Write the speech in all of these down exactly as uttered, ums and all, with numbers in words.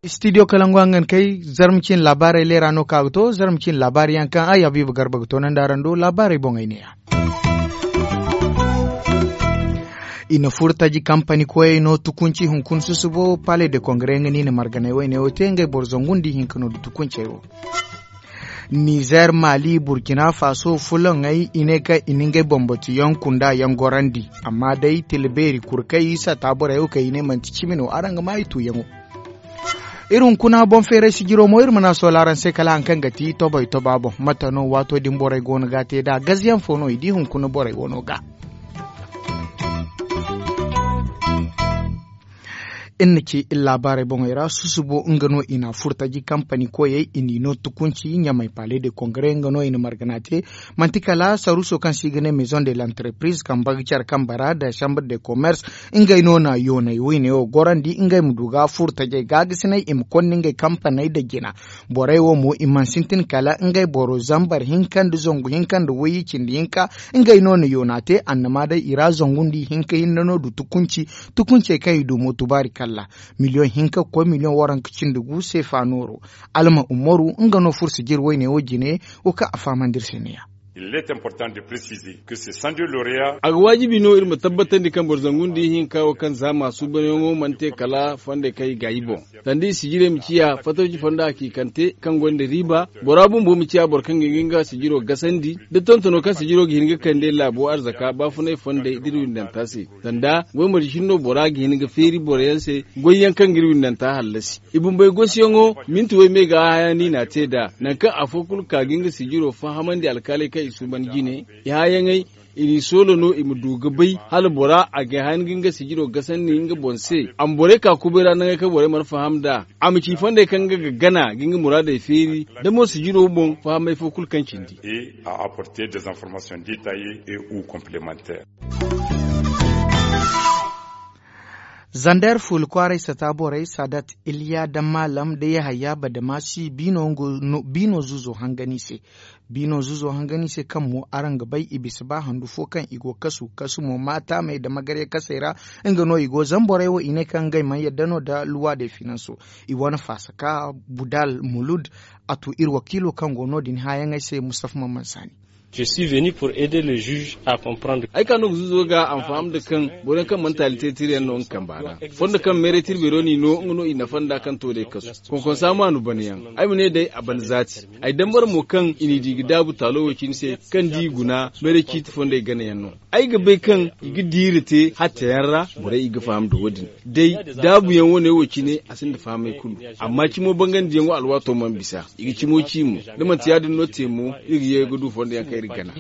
Studio kalangu hangan kay. Zarma cin laabaarey leera no ka ga to zarma cin laabaari yaŋ kaŋ ay habiiba garba ga to nandi araŋ do laabaarey boŋey ne ya. I na furo taji kampani koyey no tukunci hunkuna susubo palais de kongre nga no i na marganey woyne wo te ngey boro zangu nda ihinka no nda tukuncey wo. Nizer, mali, burkina faso fulaŋey i ne kaŋ i na ngey bambatiyaŋ kunda yaŋ gorandi. Amma day tila beeri kuru kaŋ i sata borey wo kaŋ i ne manti cimi no araŋ ga ma i tuuyaŋo. Iri hunkuna boŋ feeray sijiro mo iri mana soola araŋ se kala hari kaŋ ga ti tobay toba boŋ mate no waato din borey go no ga te nd'a gaziyaŋ fo no i di hunkuna borey wano ga. Iri na ci iri laabaarey boŋey ra susubo nga no i na a furo taji kampani koyey i n'i no tukunci ɲamay palais de kongre nga no i na margana te. Manti kala saruuso kaŋ se i ga ne maison de l'entreprise kamba ga care kamba ra nda chambre de commerce. Ngey no na yoonay woyne wo gorandi ngey ma du ga furo tajey gaagasinay i ma konda ngey kampaney nda jina. Borey wo mo i mana sintin kala ngey boro zambar hinka nda zangu hinka nda wayye cindi hinka. Ngey no na yoona te annama day i ra zangu nda ihinka hinne no du tukunci. Tukuncey kaŋ i du mo tubaari kalla miliyoŋ hinka ga koy miliyoŋ waranka cindi gu seefa nooro. Alma umaru nga no furo sijir woyne wo jine. Wo kaŋ a fahamandi iri se ne ya. A ga waajibi no iri ma tabbatandi kaŋ boro zangu nda ihinka wo kaŋ zaama suubanyaŋo mana te kala fondey kaŋ i gaayi boŋ. Sanda i sijirey ma ciya fatawci fonda hakiikante kaŋ gonda riiba. Bora bumbo ma ciya boro kaŋ ga hin ga nga sijiro gasandi da tontono kaŋ sijiro ga hin ga kande laabo arzaka baafunay fondey da iri windanta se. Sanda goy marje hinno bora ga hin ga feeri boroyaŋ se goyyaŋ kaŋ ga iri windanta hallasi. I bumbey gosiyaŋo minti way me ga haya no i n'a te nd'a. Nangu kaŋ afo kulu ka ga nga sijiro fahamandi alkaaley kaŋ i suuban jine. I hayaŋey i n'i soolo no i ma du ga bay hala bora a ga hin ga nga sijiro gasandi nga boŋ se. A ma borey ka kubay ra nangey kaŋ borey mana faham nd'a. A ma ci fondey kaŋ nga ga gana ga nga muraadey feeri da mo sijiro boŋ fahamay fo kulu kaŋ cindi. Zander fuula kwaaray sata borey sadat iliya da maalam da yahaya badamasi biino zuuzo hangan i se. Biino zuuzo hangan i se kaŋ mo araŋ ga bay i bisa ba handu fo kaŋ i go kasu kasu mo maataamey da magarya kasey ra. Nga no i go zamborey wo i ne kaŋ ngey mana yadda no nda luwa de finanso. I wane faasa ka budal mulud a tu iri wakiilo kaŋ go no- din haayaŋey se mustafa mamman saani. Ay ka no ga zuuzo ga a ma faham nda kaŋ boro yaŋ kaŋ mana taali teetiri yaŋ no nga kamba ra. Fondo kaŋ meeray tirbeero n'i no nga no i nafa nd'a kaŋ to day kasu. Konkonsa maanu bana yaŋ ay ma ne day a bana zaati. Ay dambara mo kaŋ i n'i di ga daabu taalo wo cine se kaŋ da i guna meeray ciiti fondey gana yaŋ no. Ay ga bay kaŋ i ga diiri te hatta yaŋ ra. Borey i ga faham nda wo- din day daabu yaŋ wane wo cine a sinda fahamay kulu. Amma cimo bangandiyaŋo alwaato mana bisa i ga cimo ci mo. Da manti ya- din no te mo iri ga ye ga du fondo yaŋ kaŋ iri gana.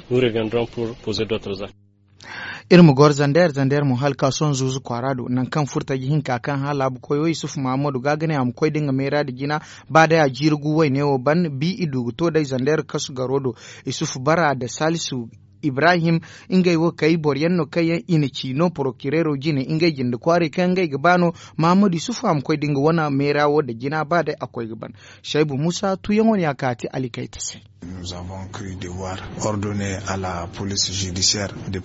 Iri ma goro zander zander mo hala ka sohõ zuuzu kwaara do nangu kaŋ furtaji hinka kaŋ hã laabu koyo isufu mahammadu ga ga ne a ma koy da nga meera nda jina. Ba day a jiiri gu wayne wo ban bi i du ga to day zander kasu garo do. Isufu bara nda salisu ibrahim. Ngey wo kay boro yaŋ no kaŋ yaŋ i na ci no porokireero jine ngey jinde kwaaray kaŋ ngey ga ba no. Mahammadu isufu a ma koy da nga wane meera wo nda jina ba day a koy ga ban. Saybu musa tuyaŋo ne a kaati alikayta se.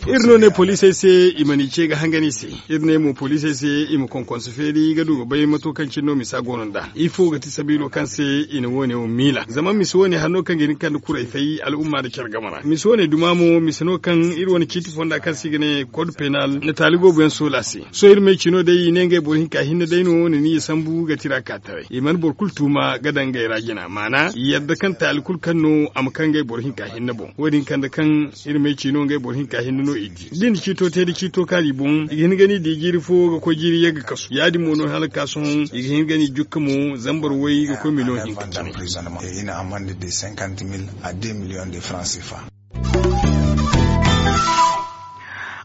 Iri no ne poliisey se i ma ni ce ga hangan i se. Iri ne mo poliisey se i ma konkonso feeri ga du ga bay mato kaŋ cine no misa go no nd'a ifo ga ti sabiilo kaŋ se i na wo- ne wo miila zama misa wo- ne hari no kaŋ ga hin ga kande kuray fay al'umma nda care game ra misa wo- ne duma mo misa no kaŋ iri wane ciiti fonda kaŋ se i ga ne kod penal na taali boobo yaŋ soola se. Sohõ iri may cino day i ne ngey boro hinka hinne day no na ni ya sambu ga tira ka taray i mana boro kulu tuuma ga daŋ ngey ra jina maana yadda kaŋ taali kulu kaŋ no a ma kaŋ ngey boro hinka hinne boŋ. Wo- din kande kaŋ iri may cino ngey boro hinka hinne no i di da i na ciito te da ciito kaari boŋ i ga hin ga ni di jiiri fo ga koy jiiri yagga kasu ya- din mo no hala ga ka sohõ i ga hin ga ni jukka mo zambar way ga koy miliyoŋ hinka cine.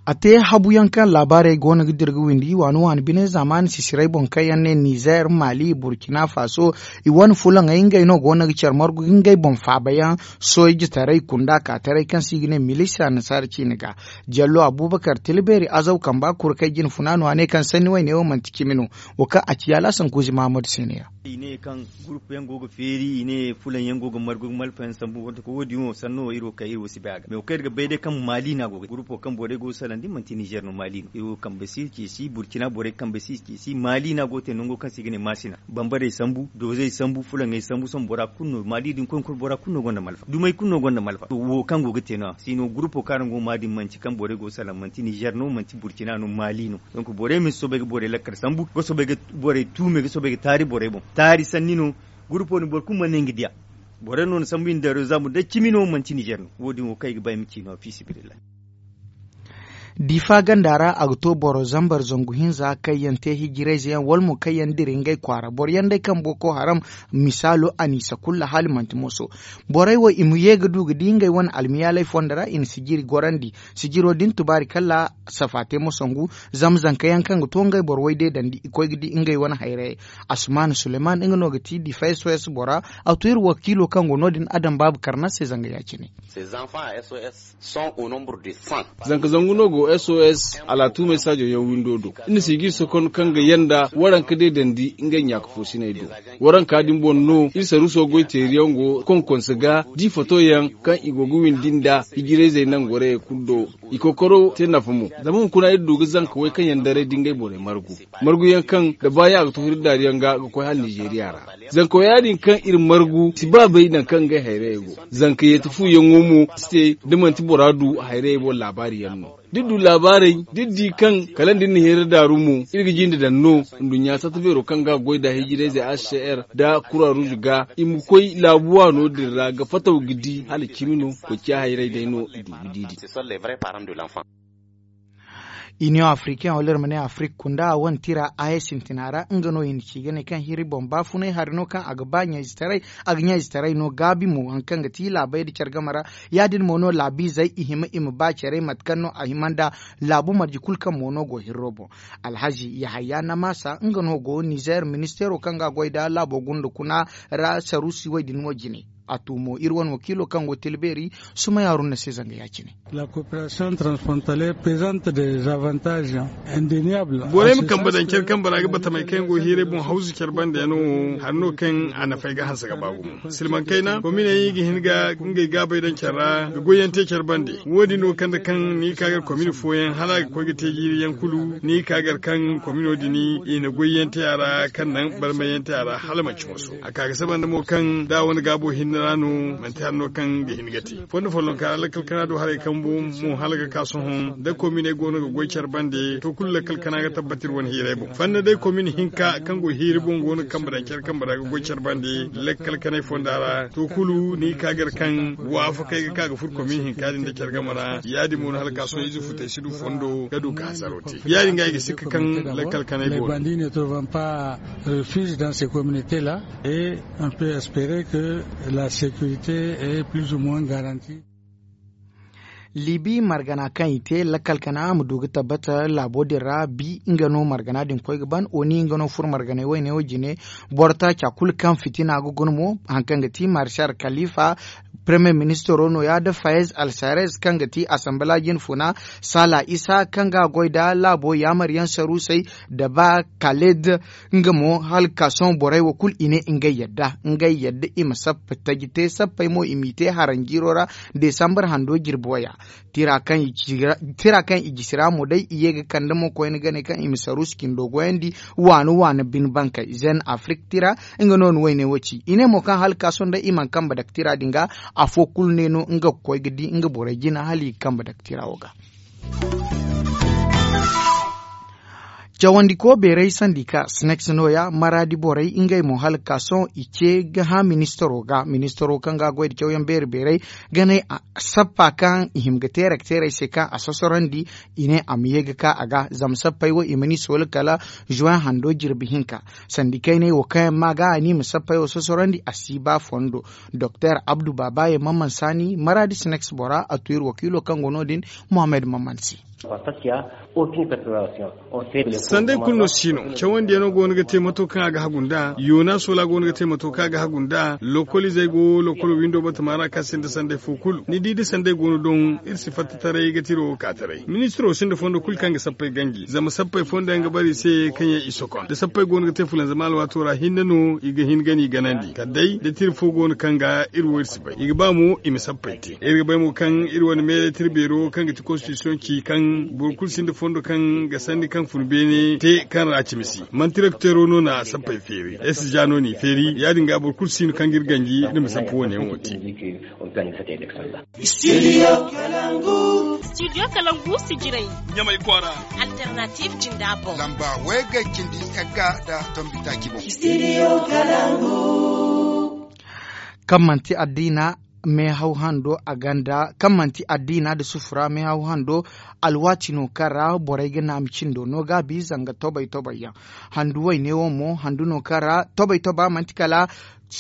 A te habu yaŋ kaŋ laabaarey go no ga dira ga windi waani waani bine zaamaani sisirey boŋ kaŋ yaŋ ne nizer mali burkina faso, i wane fulaŋey ngey no go no ga care margu ga ngey boŋ faaba yaŋ. Soojitaray kunda kaataray kaŋ se i ga ne milisa nasaara ciine ga. Jallo abubakar tilbeeri azaw kamba kuru kay jine funaano a ne kaŋ sanni wayne wo manti cimi no. Wo kaŋ a ci yaala sankuuzi mahamadu se ne ya. I ne kaŋ gurupu yaŋ go ga feeri i ne fulaŋ yaŋ go ga margu ga malfa yaŋ sambu wante ko wo- din wo sanno wo iri wo kay iri wo si bay a ga me wo kaŋ iri ga bay day kaŋ maali no a go ga gurupo kaŋ borey go ga salandi manti nizer no maali no iri wo kambe si ceesi burkina borey kambe si ceesi maali no a go ga te nango kaŋ se i ga ne maasina bambarey sambu doozey sambu fulaŋey sambu sohõ bora kulu no maali din koy hunkuna bora kulu no gonda malfa dumey kulu no gonda malfa wo kaŋ go ga te no- ya siino gurupo kaŋ araŋ go ga maa din manti kaŋ borey go ga salaŋ manti nizer no manti burkina no maali no. Donc borey ma si soobay ga borey lakkal sambu ga soobay ga borey tuumey ga soobay ga taari borey boŋ taari sanni no. Gurupo din boro kulu mana ne nga diya. Borey no na sambu i na daaro zambu day cimi no manti nizer no wo- din wo kaŋ i ga ba i ma ci no fiisabilillahi. Diifa ganda ra a ga to boro zambar zangu hinza kaŋ yaŋ te hijirayze yaŋ wala mo kaŋ yaŋ dira ngey kwaara boro yaŋ day kaŋ boko haram. Misaalo aniisa kulu hala manti moso. Borey wo i ma ye ga du ga di ngey wane almiyaaley fondo ra i na sijiri gorandi. Sijiro din tubaari kala safa te ma sangu. Zama zanka yaŋ kaŋ ga to ngey boro way deedandi i koy ga di ngey wane hayrayey. Asuman suleman nga no ga ti diifa sos bora. A to iri wakiilo kaŋ go no- din adam baabu karna se zanga ya- cine. Zanka zangu no go sos alatuumey saajo yaŋ windo do. Iri na si ga iri sokon kaŋ ga yanda waranka deedandi ngey ɲaaka foosiney do. Waranka din boŋ no iri saruuso goy teeri yaŋ go konkonse ga da i foto yaŋ kaŋ i go ga windi nda hijirayzey nangorayey kulu do. I kokoro te nafa mo. Zama hunkuna iri du ga zanka way kaŋ yaŋ daray da ngey borey margu margu yaŋ kaŋ da baayaŋ a ga to hiri daari yaŋ ga ga koy hala nizeriya ra. Zanka wo ya- din kaŋ iri margu si ba bay nangu kaŋ ngey hayrayey go. Zanka yeeti fu yaŋo mo si te da manti bora du hayrayey boŋ laabaari yaŋ no. Da iri du laabaarey da iri di kaŋ kala nda iri na hira daaru mo iri ga jinde daŋ no. Nduɲɲa satta beero kaŋ ga a goy nda hijirayze h c r nda kura ruuzu ga i ma koy laabu waano din ra ga fataw ga di hala cimi no. Koy ciya hayray day no i du ga di din. Iniyoŋ afrikaŋ wala iri ma ne afrik kunda a wane tira a ye sintina ra nga no i na ci ga ne kaŋ hiri boŋ baafunay hari no kaŋ a ga ba ɲayzetaray a ga ɲayzetaray no gaabi mo hari kaŋ ga ti laabey nda care game ra. Ya- din mo no laabiizey i hima i ma ba care mate kaŋ no a hima nda laabu marje kulu kaŋ mo no go hirro boŋ. Alhazi yahaya namaasa nga no go nizer ministeero kaŋ ga a goy nda laabo gunda kuna ra saruusi wo- din wo jine. A tu mo iri wane wakiilo kaŋ go tilbeeri sumay haruna se zanga ya- cine. La coopération transfrontalière présente des avantages indéniables. Borey ma kambe daŋ care kambe ra ga batamey kaŋ yaŋ go hiiray boŋ hawzu care bande yaŋ no hari no kaŋ a nafey ga hanse ga ba gumo silmaŋ kayna kominey ga hin ga ngey gaabey daŋ care ra ga goyyaŋ te care bande. Wo- din no kaŋ da kaŋ ni ga ka gar komini fooyaŋ hala a ga koy ga te jiiri yaŋ kulu ni ga ka gar kaŋ komino din i na goyyaŋ te a ra kaŋ naŋ barmayyaŋ te a ra hala manci moso a ka ga saba nda mo kaŋ da a wane gaabo hinne ra no manti hari no kaŋ ga hin ga te. Fondo follonka ra lakkal kana do haray kambu mo hala ga ka sohõ da kominey go no ga goy care bande to kulu lakkal kana ga tabbati iri wane hiirey boŋ fanna day komini hinka kaŋ go hiiri boŋ go no ga kambe daŋ care kambe ra ga goy care bande lakkal kanay fonda ra to kulu ni ga ka gar kaŋ waafakey ga ka ga furo komini hinka din da care game ra ya- din mo no hala ga ka sohõ ize futey si du fondo ga du ga hasaro te ya- din ga i ga sikka kaŋ lakkal kanay go no. Refuge dans ces communautés là et on peut espérer que la sécurité est plus ou moins garantie. Libi margana kaŋ i te lakkal kana a ma du ga tabbata laabo din ra bi nga no margana din koy ga ban oni nga no furo marganey wayne wo jine. Boro taaca kulu kaŋ fitina ga guna mo hari kaŋ ga ti marshal kalifa premier ministro no- ya da fayez alsarez kaŋ ga ti asambala jine funa sala isa kaŋ ga a goy nda laabo yaamar yaŋ saruusey da ba kaled. Nga mo hala ga ka sohõ borey wo kulu i ne ngey yadda ngey yadda i ma sappa taji te sappey mo i m'i te haranjiiro ra. Desambar hando jirbi waya tira kaŋ i jisi ra mo day i ye ga kande mo koyne gane kaŋ i ma saruusi cindo goyandi waani waani bine bankey zen afrik tira. Nga no ni wayne wo ci i ne mo kaŋ hala ga ka sohõ day i mana kambe dake tira din ga afo kulu ne no nga ga koy ga di nga borey jina hala i ga kambe dake tira wo ga. Cawandiko beeray sandika sinex nooya maraadi borey ngey mo hala ga ka sohõ i ce ga hã ministaro ga ministaro kaŋ ga a goy nda cawyaŋ beeri beeray ga ne sappa kaŋ i hima ga te rakteerey se kaŋ a sosorandi. I ne a ma ye ga ka a ga zama sappey wo i ma ni sooli kala zuwen hando jirbi hinka. Sandikayney wo kaŋ yaŋ ma ga a ni ma sappey wo sosorandi a si ba fondo. Doktor abdu babaye mamman saani maraadi sinex bora a tu iri wakiilo kaŋ go no- din. Mohammed mamman se. Sanday kulu no si no cawandiyaŋo go no ga te mato kaŋ a ga hagu nd'a yoona soola go no ga te mato kaŋ a ga hagu nd'a lokol izey go lokolo windo batama ra kaŋ sinda sanday fo kulu ni di da sanday go no doŋ iri si fatta taray ga tiro wo ka taray ministiro sinda fondo kulu kaŋ ga sappey ganji zama sappey fondo yaŋ ga bara i se kaŋ yaŋ i sokon da sappey go no ga te fulanzama alwaato ra hinne no i ga hin gana i ganandi kala day da tira fo go no kaŋ ga iri wo iri si bay i ga ba mo i ma sappey te iri ga bay mo kaŋ iri wane meeray tira beero kaŋ ga ti konstitisiyoŋ ci kaŋ boro kulu sinda fondo kaŋ ga sanni kaŋ fun beene te kaŋ ra cimi si manti direkteero no na sappey feeri ay si ja no n'i feeri ya- din ga boro kulu si no kaŋ ga iri ganji iri ma sappa wane yaŋo te. Studio kalangu si jiray ɲamay kwaara. Alternative jinda boŋ lamba way ga cindi yagga da tombi taaci boŋ. Studio kalangu. Kaŋ manti addiina meehaw hando a ganda kaŋ manti addiina nda sufura meehaw hando alwaati no kaŋ ra borey ga naami cindo no gaabi zanga tobay tobay yaŋ handu wayne wo mo handu no kaŋ ra tobay toba manti kala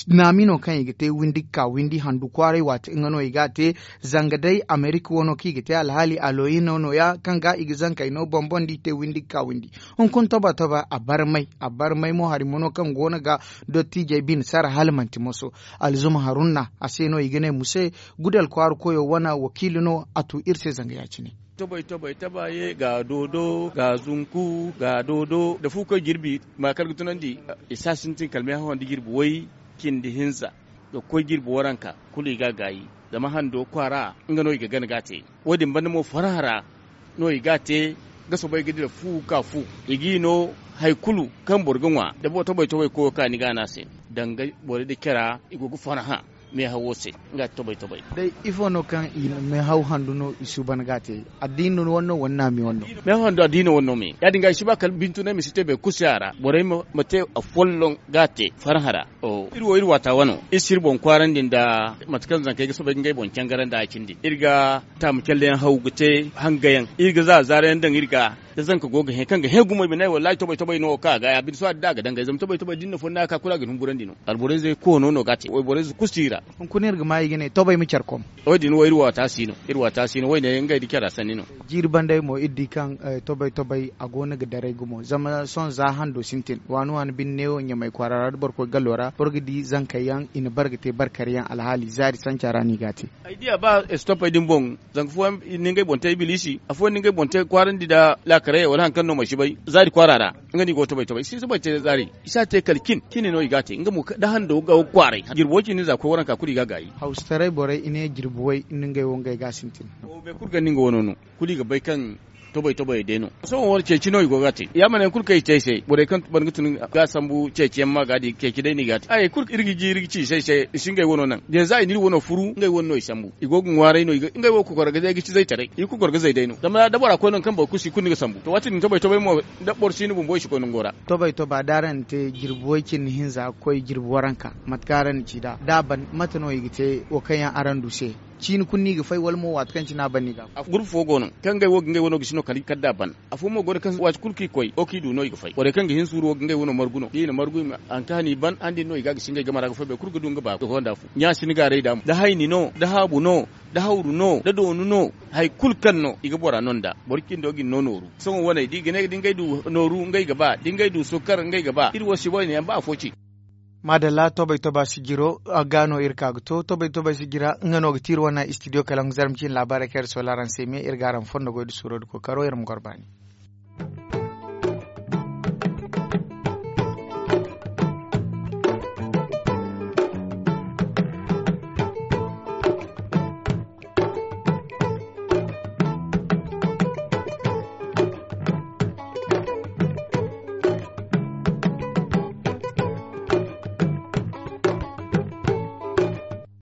naami no kaŋ i ga te windi ga ka windi handu kwaaray waati nga no i ga a te zanga day amerika wano kaŋ i ga te alhaali aloyino no- ya kaŋ ga i ga zankey no boŋ boŋ da i te windi ga ka windi hunkuna toba toba a barmay a barmay mo hari mo no kaŋ go no ga dottiijey bine sara hala manti moso alzuma harunna a se no i ga ne muse gudal kwaara koyo wane wakiili no a tu iri se zanga ya- cine. Tobay tobay taba ye ga doodo ga zunku ga doodo nda fu koy jirbi ma kala ga tunandi i si a sintin kala meehaw handi jirbi way cindi hinza ga koy jirbi waranka kulu i ga a gaayi zama hando kwaara nga no i ga gana ga a te wo- din banda mo farhã ra no i ga a te ga soobay ga dira fu ga ka fu i g'i no hari kulu kaŋ boro ga ŋwa da tobay tobay koyo ka ni ga a ne a se danga borey nda cara i go ga farhã meehawo se nga ti tobay tobay. Day ifo no kaŋ i na meehaw handu no i suuban ga a te addiina wane no wala naami wane no? Meehaw handu addiina wane no me ya- din ga i si ba kala bintunay ma si te boro kulu se a ra borey ma te afolloŋ ga a te farhã ra. Iri wo iri waata wano iri si iri boŋ kwaarandi nda mate kaŋ zankey ga soobay ga ngey boŋ cangarandi a cindi iri ga taamu calleyaŋ haw ga te hangayaŋ iri ga za zaarayaŋ daŋ iri ga da zanka go ga hẽ kaŋ ga hẽ gumo i ma ne wallaahi tobay tobay no wo kaŋ a ga ya bine sohõ da a ga dangay zama tobay tobay da ni na fonda ka kulu a ga ni humburandi no alborayzey koono no ga a te wayborayze kulu si i ra. Hunkuna iri ga ma i ga ne tobay ma care kom. Wo- din wo iri waata si no iri waata si no wayne ngey da cara sanni no. Jiiri bandey mo iri di kaŋ tobay tobay a go no ga daray gumo zama sohõ za hando sintin waani waani binde neewo ɲamay kwaara ra da boro koy gallo ra boro ga di zankey yaŋ i na bare ga te barkari yaŋ alhaali zaari sanca ra no i ga a te. Ay di a ba estopey din boŋ zanka fooyaŋ ni ngey boŋ te ibiliisi afooyaŋ ni ngey boŋ te kwaarandi nda laakarayey wala hari kaŋ no mansi bay zaari kwaara ra nga no i go ga tobay tobay i si tobay te zaari i si a te kala cin cine no i ga a te nga mo da hando ga kwaaray jirbi way cindi za koy waranka kulu i ga a gaayi. Hawsataray borey i ne jirbi way ni ngey wo ngey ga a sintin. Boro kulu ganda nga wano no kulu i ga bay kaŋ tobay tobayey day no. Sohõ wo- ceeci no i go ga a te ya ma ne hari kulu kaŋ i te ay se borey kaŋ ban ga tun ga a sambu ceeci yaŋ ma ga a di ceeci day no i ga a te ay hari kulu iri ga ji iri ga ci i se ay se i si ngey wano naŋ da yanzu a i na iri wano furu ngey wane no i sambu i go ga ŋwaaray no ngey wo ga kokoro ga day ga ci zaytaray i ga kokoro ga zay day no zama da bora koy nangu kaŋ boro kulu si kulu ni ga sambu to waati din tobay tobay mo da boro si ni bumbo i si koy nango ra. Tobay toba da araŋ na te jirbi way cindi hinza ga koy jirbi waranka mate kaŋ araŋ na ci nd'a da a ban mate no i ga te wo kaŋ yaŋ araŋ du se? Ciini kulu no i ga fay wala mo waati kaŋ cine a ban no i ga a fay? Gurpu fo go no kaŋ ngey wo ga ngey wano gisi no kala i kala da a ban. Afo mo go no kaŋ waati kulu kaŋ i koy wo kaŋ i du no i ga fay borey kaŋ ga hin suuru wo ga ngey wano margu no da i na margu i ma haŋ kaŋ hane i ban hane din no i ga a gisi ngey game ra ga fay boro kulu ga du nga ba ga honda fu ɲa si ni gaaray da mo da hayni no da haabu no da hawru no da doonu no hari kulu kaŋ no i ga bora no nd'a boro cindo ga ni no nooru. Sohõ waney da i ga ne da ngey du nooru ngey ga ba da ngey du sukkar ngey ga ba iri wo si boyne yaŋ ba afo ci. Maadalla tobay toba sijiro ga no iri ka ga to tobay tobay sijira nga no ga ti iri wane istidiyo kalaŋ zarma ciine laabaarey kaŋ iri sola araŋ se me iri ga araŋ fondo goy da suuro da kookaro iri ma goro baani.